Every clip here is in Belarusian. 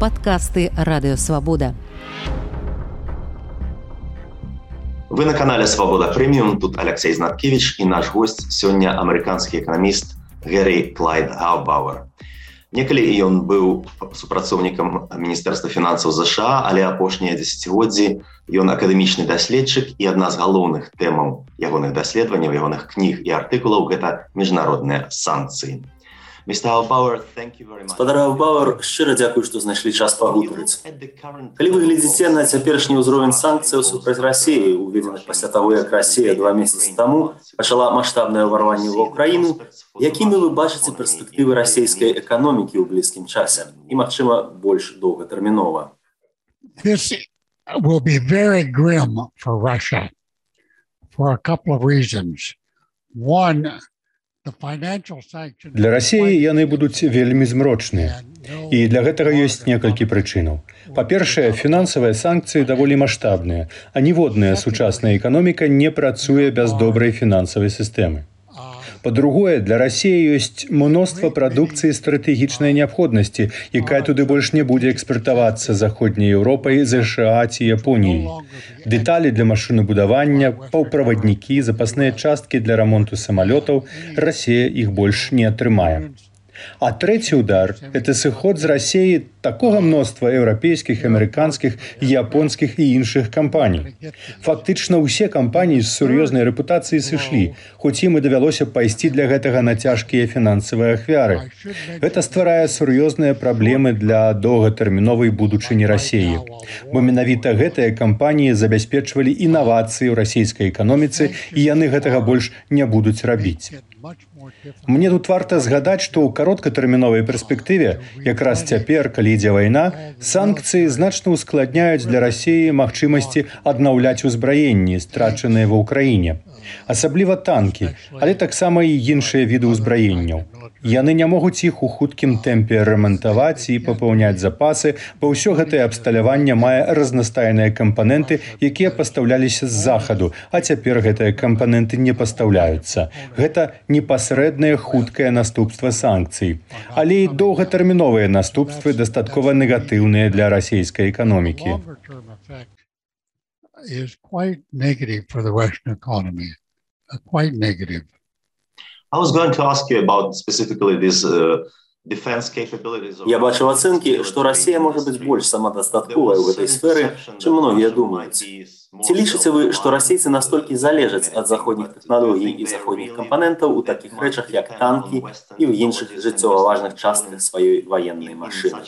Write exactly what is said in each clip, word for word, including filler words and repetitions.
Подкасты «Радио Свобода». Вы на канале «Свобода Премиум». Тут Алексей Знаткевич и наш гость сегодня американский экономист Гэри Клайд Гаубауэр. Некалі ён быў супрацоўнікам Міністэрства фінансаў ЗША, але апошнія дзесяцігоддзі ён акадэмічны даследчык, і адна з галоўных тэмаў ягоных даследаванняў, ягоных кніг і артыкулаў гэта міжнародныя санкцыі. Спадар Гаубауэр, шчыра дзякую, што знайшлі час пагутарыць. Калі вы глядзіце на цяперашні ўзровень санкцыяў супраць Расіі, уведзеных пасля таго, як Расія два месяцы таму пачала маштабнае ўварванне ва ўкраіну, якімі вы бачыце перспектывы расійскай эканомікі ў блізкім часе і, магчыма, больш доўгатэрмінова? This will be very grim for Russia for a couple of reasons. One, Для Расіі яны будуць вельмі змрочныя. І для гэтага ёсць некалькі прычынаў. Па-першае, фінансавыя санкцыі даволі маштабныя, а ніводная сучасная эканоміка не працуе без добрай фінансавай сістэмы. Па-другое, для Расіі ёсць мноства прадукцыі стратэгічнай неабходнасці, якая туды больш не будзе экспартавацца Заходняй Еўропай, ЗША ці Японіяй. Дэталі для машынабудавання, паўправаднікі, запасныя часткі для рамонту самалётаў, Расія іх больш не атрымае. А трэці ўдар – это сыход з Расіі такога мноства еўрапейскіх, амерыканскіх, японскіх і іншых кампаній. Фактычна ўсе кампаніі з сур'ёзнай рэпутацыяй сышлі, хоць ім і давялося пайсці для гэтага на цяжкія фінансавыя ахвяры. Гэта стварае сур'ёзныя праблемы для доўгатэрміновай будучыні Расіі. Бо менавіта гэтыя кампаніі забяспечвалі інавацыі ў расійскай эканоміцы, і яны гэтага больш не будуць рабіць. Мне тут варта згадаць, што ў кароткатэрміновай перспектыве, якраз цяпер, калі ідзе вайна, санкцыі значна ускладняюць для Расіі магчымасці аднаўляць узбраенні, страчаныя ва ўкраіне. Асабліва танкі, але таксама і іншыя віды ўзбраенняў. Яны не могуць іх у хуткім тэмпе рамантаваць і папаўняць запасы, бо ўсё гэтае абсталяванне мае разнастайныя кампаненты, якія пастаўляліся з захаду, а цяпер гэтыя кампаненты не пастаўляюцца. Гэта непасрэднае хуткае наступства санкцый. Але і доўгатэрміновыя наступствы дастаткова негатыўныя для расійскай эканомікі. Is quite negative for the Russian economy, uh, quite negative. I was going to ask you about specifically this uh, defense capabilities. Я бачу ацэнкі, што Расія можа быць больш самадастатковай у гэтай сферы, чым многія думаюць. Ці лічыце вы, што расійцы настолькі залежаць ад заходніх тэхналогій і заходніх кампанентаў у такіх рэчах, як танкі і ў іншых жыццёва важных частках сваёй ваеннай машыны?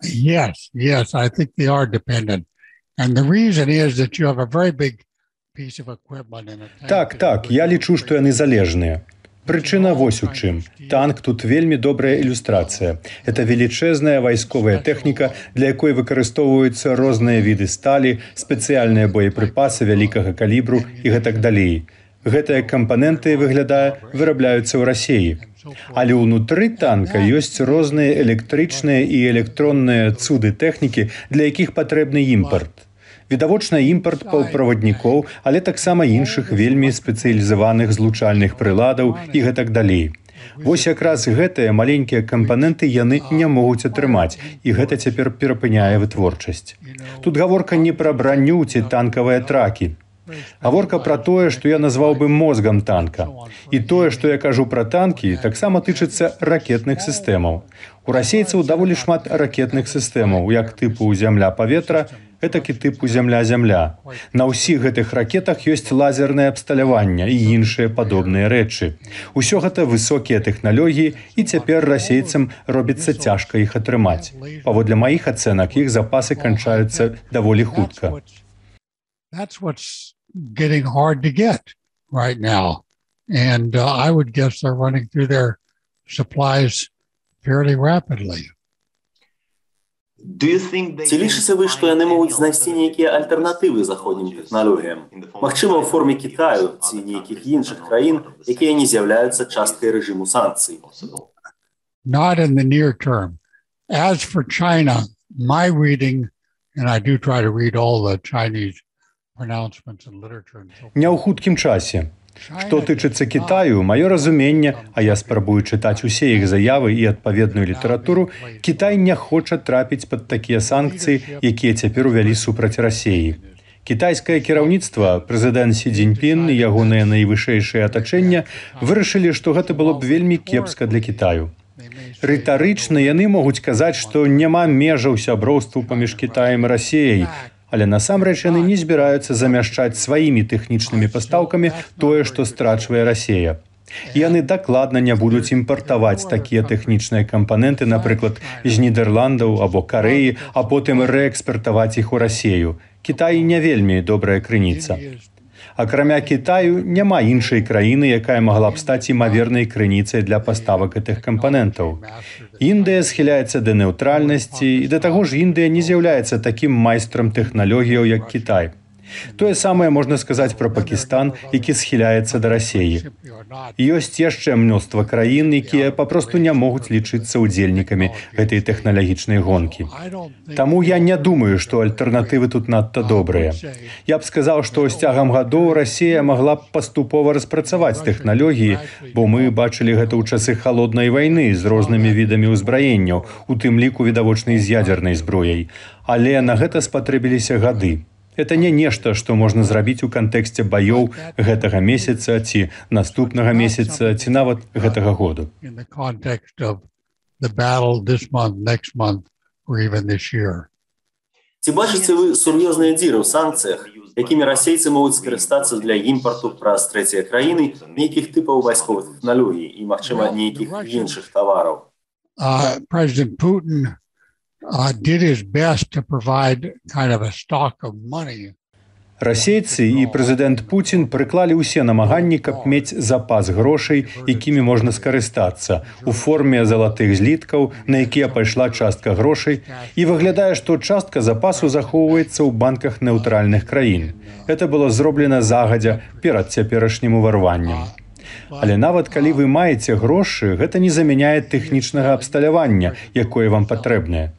Yes, yes, I think they are dependent. And the reason is that you have a very big piece of equipment in a tank. Так, так, я лічу, што яны залежныя. Прычына вось у чым. Танк тут вельмі добрая ілюстрацыя. Это велічэзная вайсковая тэхніка, для якой выкарыстоўваюцца розныя віды сталі, спецыяльныя боепрыпасы вялікага калібру і гэтак далей. Гэтыя кампаненты, выглядае, вырабляюцца ў Расіі. Але ўнутры танка ёсць розныя электрычныя і электронныя цуды тэхнікі, для якіх патрэбны імпарт. Відавочна імпарт паўправаднікоў, але таксама іншых вельмі спецыялізаваных злучальных прыладаў і гэтак далей. Вось якраз гэтыя маленькія кампаненты яны не могуць атрымаць, і гэта цяпер перапыняе вытворчасць. Тут гаворка не пра браню ці танкавыя тракі. Гаворка пра тое, што я назваў бы мозгам танка. І тое, што я кажу пра танкі, таксама тычыцца ракетных сістэмаў. У расейцаў даволі шмат ракетных сістэмаў, як тыпу зямля-паветра, гэтак і тыпу зямля-зямля. На ўсіх гэтых ракетах ёсць лазернае абсталяванне і іншыя падобныя рэчы. Усё гэта высокія тэхналогіі, і цяпер расейцам робіцца цяжка іх атрымаць. Паводле маіх ацэнак, іх запасы канчаюцца даволі хутка. That's what's getting hard to get right now. And uh, I would guess they're running through their supplies fairly rapidly. Ці лічыце вы, што яны могуць знайсці нейкія альтэрнатывы заходнім тэхналогіям? Магчыма, ў форме Кітаю ці нейкіх іншых краін, якія не з'яўляюцца часткай рэжыму санкцый? Not in the near term. As for China, my reading, and I do try to read all the Chinese pronouncements and literature. Не ў хуткім часе. Што тычыцца Кітаю, маё разуменне, а я спрабую чытаць усе іх заявы і адпаведную літаратуру, Кітай не хоча трапіць пад такія санкцыі, якія цяпер увялі супраць Расіі. Кітайскае кіраўніцтва, прэзідэнт Сі Цзіньпін і ягонае найвышэйшае атачэнне вырашылі, што гэта было б вельмі кепска для Кітаю. Рытарычна яны могуць казаць, што няма межаў сяброўству паміж Кітаем і Расіяй, але насамрэч яны не збіраюцца замяшчаць сваімі тэхнічнымі пастаўкамі тое, што страчвае Расія. Яны дакладна не будуць імпартаваць такія тэхнічныя кампаненты, напрыклад, з Нідерландаў або Карэі, а потым рээкспартаваць іх у Расію. Кітай не вельмі добрая крыніца. Акрамя Кітаю, няма іншай краіны, якая магла б стаць імавернай крыніцай для паставак гэтых кампанентаў. Індыя схіляецца да нейтральнасці, і да таго ж Індыя не з'яўляецца такім майстрам тэхналогіяў, як Кітай. Тое самае можна сказаць пра Пакістан, які схіляецца да Расіі. Ёсць яшчэ мноства краін, якія папросту не могуць лічыцца ўдзельнікамі гэтай тэхналагічнай гонкі. Таму я не думаю, што альтэрнатывы тут надта добрыя. Я б сказаў, што з цягам гадоў Расія магла б паступова распрацаваць тэхналогіі, бо мы бачылі гэта ў часы халоднай вайны з рознымі відамі ўзбраенняў, у тым ліку відавочнай з ядзернай зброяй. Але на гэта спатрэбіліся гады. Это не нешта, што можна зрабіць у кантэксце баёў гэтага месяца ці наступнага месяца ці нават гэтага году. Ці бачыце вы сур'ёзныя дзіры ў санкцыях, якімі расейцы могуць скарыстацца для імпарту праз трэція краіны нейкіх тыпаў вайсковых тэхналогій і, магчыма, нейкіх іншых тавараў? Президент Putin Uh, did his best to provide kind of a stock of money. Расейцы і прэзідэнт Пуцін прыклалі ўсе намаганні, каб мець запас грошай, якімі можна скарыстацца, у форме залатых зліткаў, на якія пайшла частка грошай, і выглядае, што частка запасу захоўваецца ў банках нейтральных краін. Это было зроблена загадзя перад цяперашнім уварваннем. Але нават калі вы маеце грошы, гэта не замяняе тэхнічнага абсталявання, якое вам патрэбнае.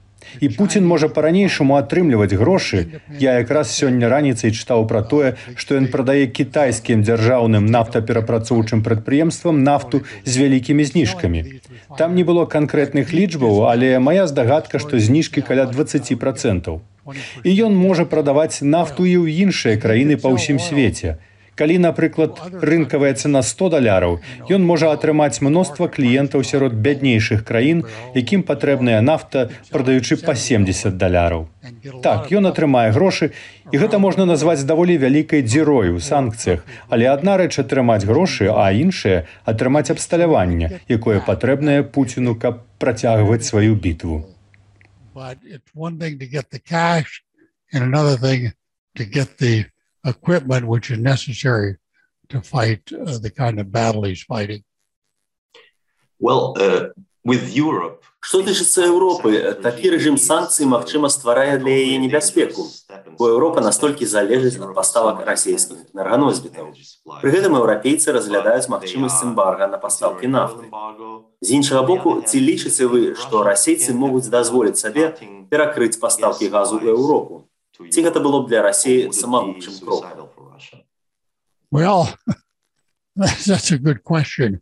І Пуцін можа па-ранейшаму атрымліваць грошы. Я якраз сёння раніцай чытаў пра тое, што ён прадае кітайскім дзяржаўным нафтаперапрацоўчым прадпрыемствам нафту з вялікімі зніжкамі. Там не было канкрэтных лічбаў, але мая здагадка, што зніжкі каля дваццаць працэнтаў. І ён можа прадаваць нафту і ў іншыя краіны па ўсім свеце. Калі, напрыклад, рынкавая цана сто даляраў, ён можа атрымаць мноства кліентаў сярод бяднейшых краін, якім патрэбная нафта, прадаючы па семдзесят даляраў. Так, ён атрымае грошы, і гэта можна назваць даволі вялікай дзірой у санкцыях, але адна рэч атрымаць грошы, а іншая – атрымаць абсталяванне, якое патрэбнае Пуціну, каб працягваць сваю бітву. Equipment which is necessary to fight uh, the kind of battle he's fighting. Well, uh, with Europe. Што тычыцца Еўропы, такі рэжым санкцый, магчыма, стварае для яе небяспеку, бо Еўропа настолькі залежыць ад паставак расійскіх энерганосьбітаў. Пры гэтым еўрапейцы разглядаюць магчымасць эмбарга на пастаўкі нафты. З іншага боку, ці лічыце вы, што расейцы могуць дазволіць сабе перакрыць пастаўкі газу ў Еўропу? Ці гэта было б для Расіі самагубчым крокам? Well, that's a good question.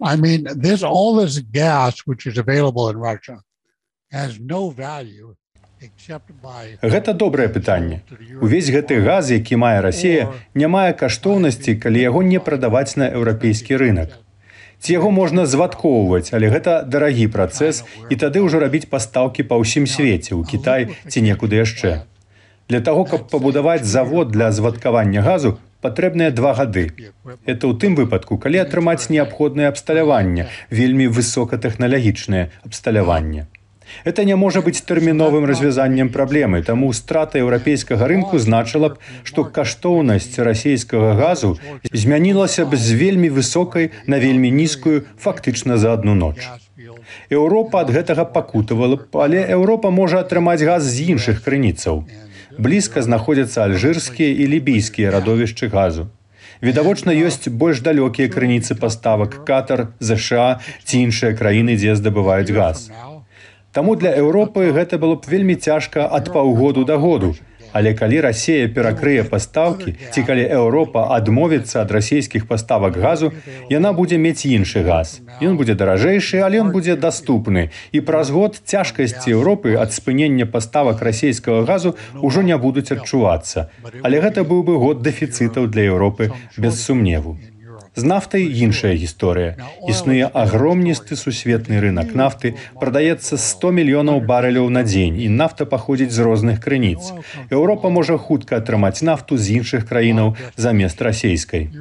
I mean, this all this gas which is available in Russia has no value except by. Гэта добрае пытанне. Увесь гэты газ, які мае Расія, не мае каштоўнасці, калі яго не прадаваць на еўрапейскі рынак. Ці яго можна звадкоўваць, але гэта дарагі працэс, і тады ўжо рабіць пастаўкі па ўсім свеце, у Кітай ці некуды яшчэ. Для таго, каб пабудаваць завод для звадкавання газу, патрэбныя два гады. Это ў тым выпадку, калі атрымаць неабходнае абсталяванне, вельмі высокатэхналагічнае абсталяванне. Это не можа быць тэрміновым развязаннем праблемы, таму страта еўрапейскага рынку значыла б, што каштоўнасць расійскага газу змянілася б з вельмі высокай на вельмі нізкую фактычна за адну ноч. Еўропа ад гэтага пакутавала б, але Еўропа можа атрымаць газ з іншых крыніцаў. Блізка знаходзяцца альжырскія і лібійскія радовішчы газу. Відавочна, ёсць больш далёкія крыніцы паставак Катар, ЗША ці іншыя краіны, дзе здабываюць газ. Таму для Еўропы гэта было б вельмі цяжка ад паўгоду да году, Але калі Расія перакрые пастаўкі, ці калі Еўропа адмовіцца ад расійскіх паставак газу, яна будзе мець іншы газ. Ён будзе даражэйшы, але ён будзе даступны. І праз год цяжкасці Еўропы ад спынення паставак расійскага газу ўжо не будуць адчувацца. Але гэта быў бы год дэфіцытаў для Еўропы, без сумневу. З нафтай іншая гісторыя. Існуе агромністы сусветны рынак нафты, прадаецца сто мільёнаў барэляў на дзень, і нафта паходзіць з розных крыніц. Еўропа можа хутка атрымаць нафту з іншых краінаў замест расійскай.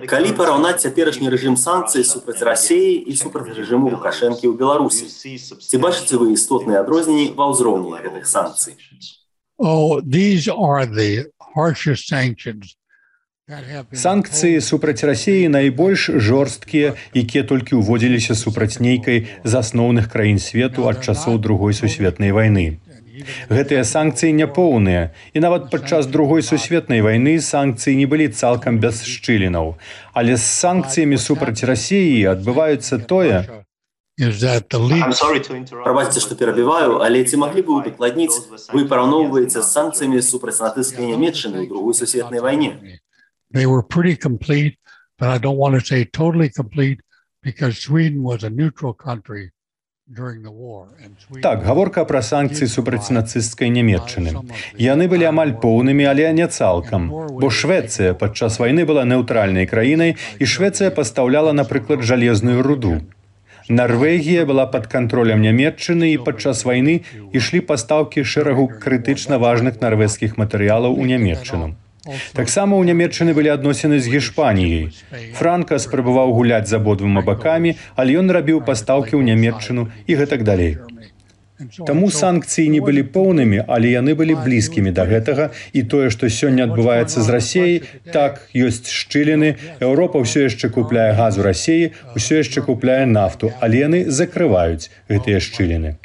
Калі параўнаць цяперашні рэжым санкцый супраць Расіі і супраць рэжыму Лукашэнкі ў Беларусі, ці бачыце вы істотныя адрозненні ва ўзроўні гэтых санкцый? Санкцыі супраць Расіі найбольш жорсткія, якія толькі ўводзіліся супраць нейкай з асноўных краін свету ад часоў Другой сусветнай вайны. Гэтыя санкцыі няпоўныя, і нават падчас Другой сусветнай вайны санкцыі не былі цалкам без шчылінаў. Але з санкцыямі супраць Расіі адбываецца тое... Прабачце, што перабіваю, але ці маглі бы вы дакладніць, вы параўноўваеце з санкцыямі супраць нацысцкай Нямецчыны ў Другой сусветнай вайне? They were pretty complete, but I don't want to say totally complete, because Sweden was a neutral country. Так, гаворка пра санкцыі супраць нацысцкай Нямецчыны. Яны былі амаль поўнымі, але не цалкам. Бо Швецыя падчас вайны была неўтральнай краінай, і Швецыя пастаўляла, напрыклад, жалезную руду. Нарвегія была пад кантролем Нямецчыны, і падчас вайны ішлі пастаўкі шэрагу крытычна важных нарвежскіх матэрыялаў у Нямецчыну. Таксама ў Нямецчыны былі адносіны з Гішпаніяй. Франка спрабаваў гуляць з абодвума бакамі, але ён рабіў пастаўкі ў Нямецчыну і гэтак далей. Таму санкцыі не былі поўнымі, але яны былі блізкімі да гэтага, і тое, што сёння адбываецца з Расіяй, так, ёсць шчыліны, Еўропа ўсё яшчэ купляе газ у Расіі, ўсё яшчэ купляе нафту, але яны закрываюць гэтыя шчыліны.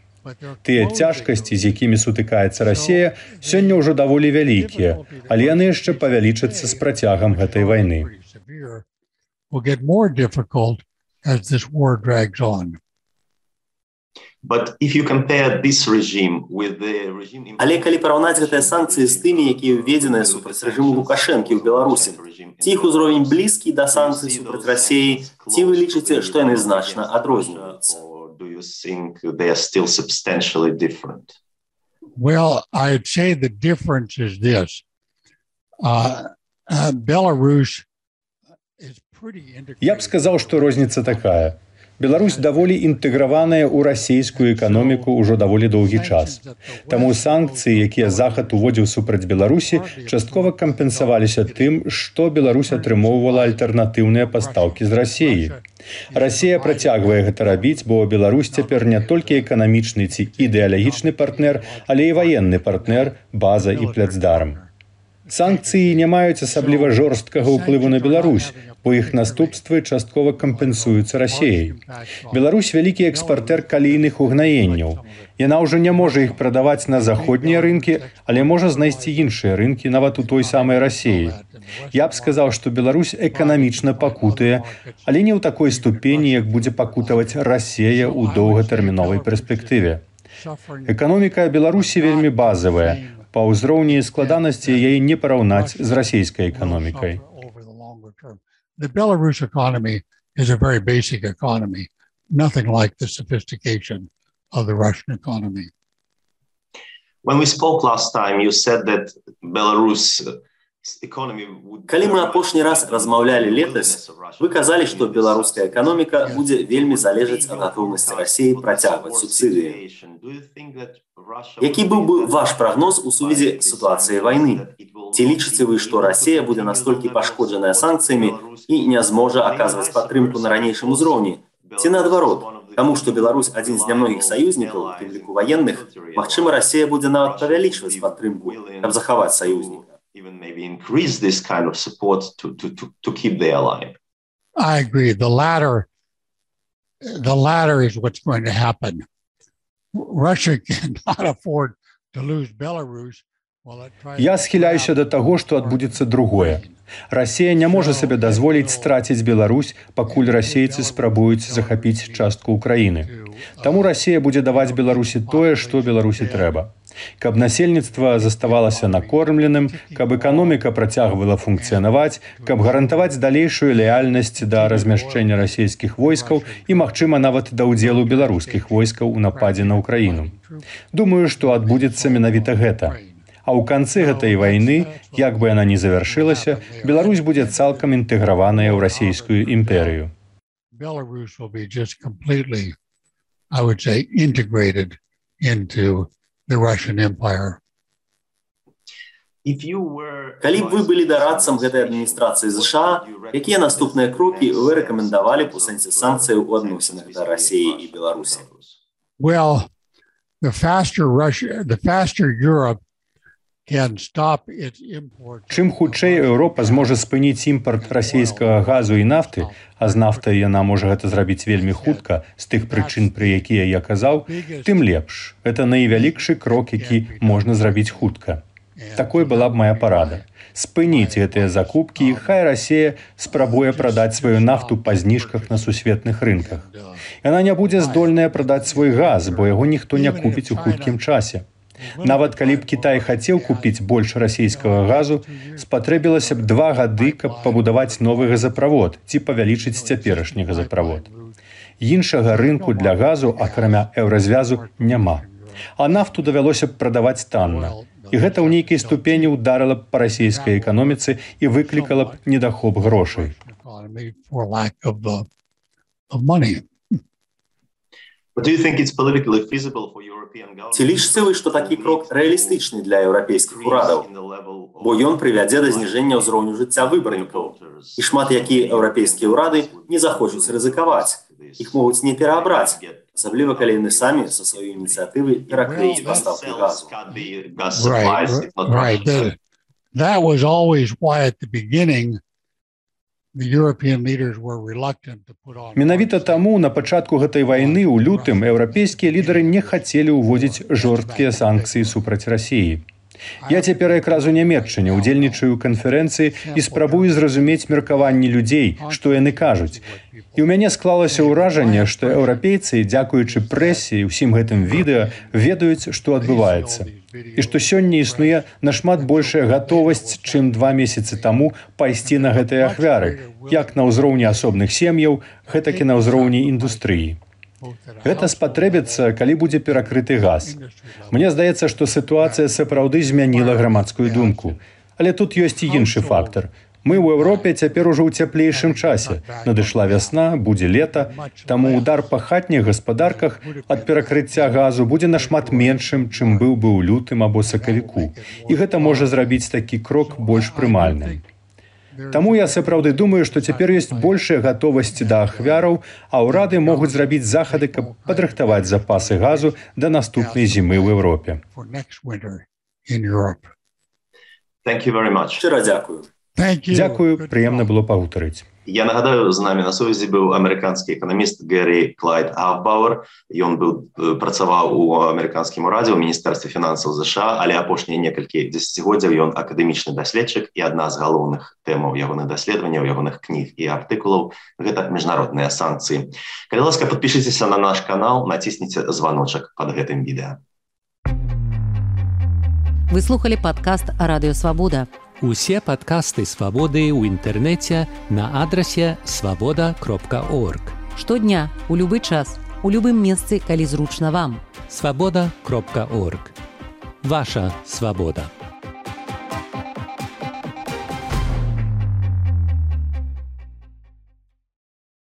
Тыя цяжкасці, з якімі сутыкаецца Расія, сёння ўжо даволі вялікія, але яны яшчэ павялічацца з працягам гэтай вайны. Але калі параўнаць гэтыя санкцыі з тымі, якія ўведзеныя супраць рэжыму Лукашэнкі ў Беларусі, ці іх узровень блізкі да санкцый супраць Расіі, ці вы лічыце, што яны значна адрозніваюцца? Do you think they are still substantially different? Well, I'd say the difference is this. Uh, uh, Belarus is pretty integrated. Я б сказаў, што розніца такая. Беларусь даволі інтэграваная ў расійскую эканоміку ўжо даволі доўгі час. Таму санкцыі, якія Захад уводзіў супраць Беларусі, часткова кампенсаваліся тым, што Беларусь атрымоўвала альтэрнатыўныя пастаўкі з Расіі. Расія працягвае гэта рабіць, бо Беларусь цяпер не толькі эканамічны ці ідэалагічны партнер, але і ваенны партнер, база і пляцдарм. Санкцыі не маюць асабліва жорсткага ўплыву на Беларусь, бо іх наступствы часткова кампенсуюцца Расіяй. Беларусь вялікі экспартэр калійных угнаенняў. Яна ўжо не можа іх прадаваць на заходнія рынкі, але можа знайсці іншыя рынкі нават у той самай Расіі. Я б сказаў, што Беларусь эканамічна пакутае, але не ў такой ступені, як будзе пакутаваць Расія ў доўгатэрміновай перспектыве. Эканоміка Беларусі вельмі базавая. Па ўзроўні складанасці яе не параўнаць з расійскай эканомікай. The Belarus economy is a very basic economy, nothing like the sophistication of the Russian economy. When we spoke last time, you said that Belarus Калі мы апошні раз размаўлялі летась, вы казалі, што беларуская эканоміка будзе вельмі залежаць ад гатоўнасці Расіі працягваць субсідыі. Які быў бы ваш прагноз у сувязі з сітуацыяй вайны? Ці лічыце вы, што Расія будзе настолькі пашкоджаная санкцыямі і не зможа аказваць падтрымку на ранейшым узроўні? Ці наадварот, таму што Беларусь адзін з нямногіх саюзнікаў, у тым ліку ваенных, магчыма, Расія будзе нават павялічваць падтрымку, каб захаваць саюзніка. Even maybe increase this kind of support to, to, to, to keep the ally. I agree. The latter, the latter is what's going to happen. Russia cannot afford to lose Belarus Я схіляюся да таго, што адбудзецца другое. Расія не можа сабе дазволіць страціць Беларусь, пакуль расейцы спрабуюць захапіць частку ўкраіны. Таму Расія будзе даваць Беларусі тое, што Беларусі трэба. Каб насельніцтва заставалася накормленым, каб эканоміка працягвала функцыянаваць, каб гарантаваць далейшую лаяльнасць да размяшчэння расійскіх войскаў і, магчыма, нават да ўдзелу беларускіх войскаў у нападзе на ўкраіну. Думаю, што адбудзецца менавіта гэта. А ў канцы гэтай вайны, як бы яна ні завяршылася, Беларусь будзе цалкам інтэграваная ў расійскую імперыю. Belarus will be just completely, I would say, integrated into the Russian Empire. Калі б вы былі дарадцам гэтай адміністрацыі ЗША, якія наступныя крокі вы рэкамендавалі б у сэнсе санкцыяў у адносінах да Расіі і Беларусі? Well, the faster Russia, the faster Europe Чым хутчэй Еўропа зможа спыніць імпарт расійскага газу і нафты, а з нафтай яна можа гэта зрабіць вельмі хутка, з тых прычын, пра якія я казаў, тым лепш. Гэта найвялікшы крок, які можна зрабіць хутка. Такой была б моя парада. Спыніць гэтыя закупкі, і хай Расія спрабуе прадаць сваю нафту па зніжках на сусветных рынках. Яна не будзе здольная прадаць свой газ, бо яго ніхто не купіць у хуткім часе. Нават калі б Кітай хацеў купіць больш расійскага газу, спатрэбілася б два гады, каб пабудаваць новы газаправод ці павялічыць цяперашні газаправод. Іншага рынку для газу, акрамя еўразвязу, няма. А нафту давялося б прадаваць танна. І гэта ў нейкай ступені ўдарыла б па расійскай эканоміцы і выклікала б недахоп грошай. Ці лічыце вы, што такі крок рэалістычны для еўрапейскіх урадаў, бо ён прывядзе да зніжэння ўзроўню жыцця выбарнікаў. І шмат якія еўрапейскія ўрады не захочуць рызыкаваць. Іх могуць не пераабраць, асабліва калі яны самі са сваёй ініцыятывы перакрыюць пастаўкі газу. Right, right. That was always why at the beginning Менавіта таму на пачатку гэтай вайны ў лютым еўрапейскія лідары не хацелі ўводзіць жорсткія санкцыі супраць Расіі. Я цяпер якраз у Нямецчыне удзельнічаю ў канферэнцыі і спрабую зразумець меркаванні людзей, што яны кажуць. І ў мяне склалася ўражанне, што еўрапейцы, дзякуючы прэсе і ўсім гэтым відэа, ведаюць, што адбываецца. І што сёння існуе нашмат большая гатовасць, чым два месяцы таму пайсці на гэтыя ахвяры, як на ўзроўні асобных сем'яў, гэтак і на ўзроўні індустрыі. Гэта спатрэбіцца, калі будзе перакрыты газ. Мне здаецца, што сітуацыя сапраўды змяніла грамадскую думку. Але тут ёсць і іншы фактар. Мы ў Еўропе цяпер ужо ў цяплейшым часе. Надышла вясна, будзе лета, таму удар па хатніх гаспадарках ад перакрыцця газу будзе нашмат меншым, чым быў бы ў лютым або сакавіку. І гэта можа зрабіць такі крок больш прымальным. Таму я сапраўды думаю, што цяпер ёсць большая гатовасць да ахвяраў, а ўрады могуць зрабіць захады, каб падрыхтаваць запасы газу да наступнай зімы ў Еўропе. Шчыра дзякую. Дзякую, прыемна было пагутарыць. Я нагадаю, з намі на сувязі быў амерыканскі эканаміст Гэри Клайд Гаўбауэр. Ён быў працаваў у амерыканскім урадзе ў міністэрстве фінансаў ЗША, але апошнія некалькі дзесяцігоддзяў ён акадэмічны даследчык, і адна з галоўных тэмаў ягоных даследаванняў, ягоных кніг і артыкулаў гэта міжнародныя санкцыі. Калі ласка, падпішыцеся на наш канал, націсніце званочак пад гэтым відэа. Вы слухали падкаст Радыё Свабода. Усе падкасты Свабоды ў інтэрнэце на адрасе свабода кропка орг. Штодня, у любы час, у любым месцы, калі зручна вам. свабода кропка орг. Ваша свабода.